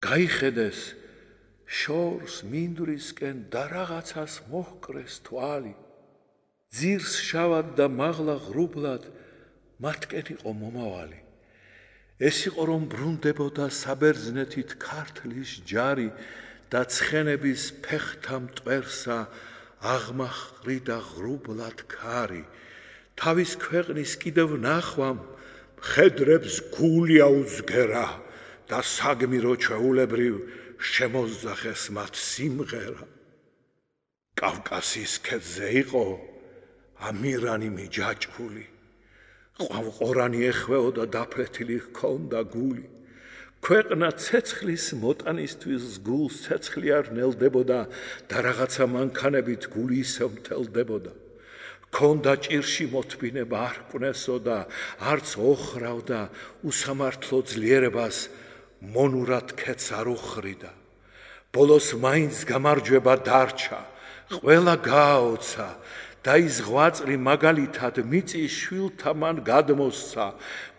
გაიხედეს შორს მინდვრისკენ და რაღაცას მოჰკრეს თვალი. ძირს შავად და მაღლა ღრუბლად მათკენ იყო მომავალი. ეს იყო რომ ბრუნდებოდა საბერძნეთით ქართლის ჯარი და ცხენების ფეხთა მტვერსა აღმაჰყრიდა ღრუბლად ქარი. თავის ქვეყნის კიდევ ნახვამ მხედრებს გული აუძგერა და საგმირო ჩვეულებრივ შემოძახეს მათ სიმღერა. კავკასიის ქედზე იყო ამირანი მიჯაჭვული. ყვავყორანი ეხვეოდა დაფლეთილი ჰქონდა გული. ქვეყნა ცეცხლის მოტანისთვის გულს ცეცხლი არ ნელდებოდა და რაღაცა მანქანებით გული ისევ მთელდებოდა. ჰქონდა ჭირში მოთბინება არ კვნესოდა, არც ოხრავდა უსამართლო ძლიერებას მონურად ქეთს არ უხრიდა. ბოლოს მაინც გამარჯვება დარჩა, ყველა გააოცა და ის ღვაწლი მაგალითად მიწის შვილთა მან გადმოსცა.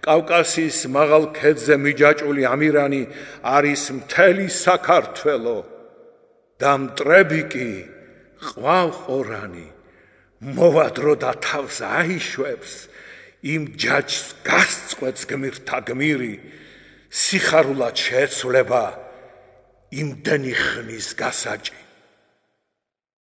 კავკასიის მაღალ ქედზე მიჯაჭვული ამირანი არის მთელი საქართველო და მტრები კი ყვავყორანი მოვადრო და თავს აიშვებს, იმ ჯაჭს გასწყვეტს გმირთა გმირი, სიხარულად შეეცვლება იმდენი ხნის გასაჭი.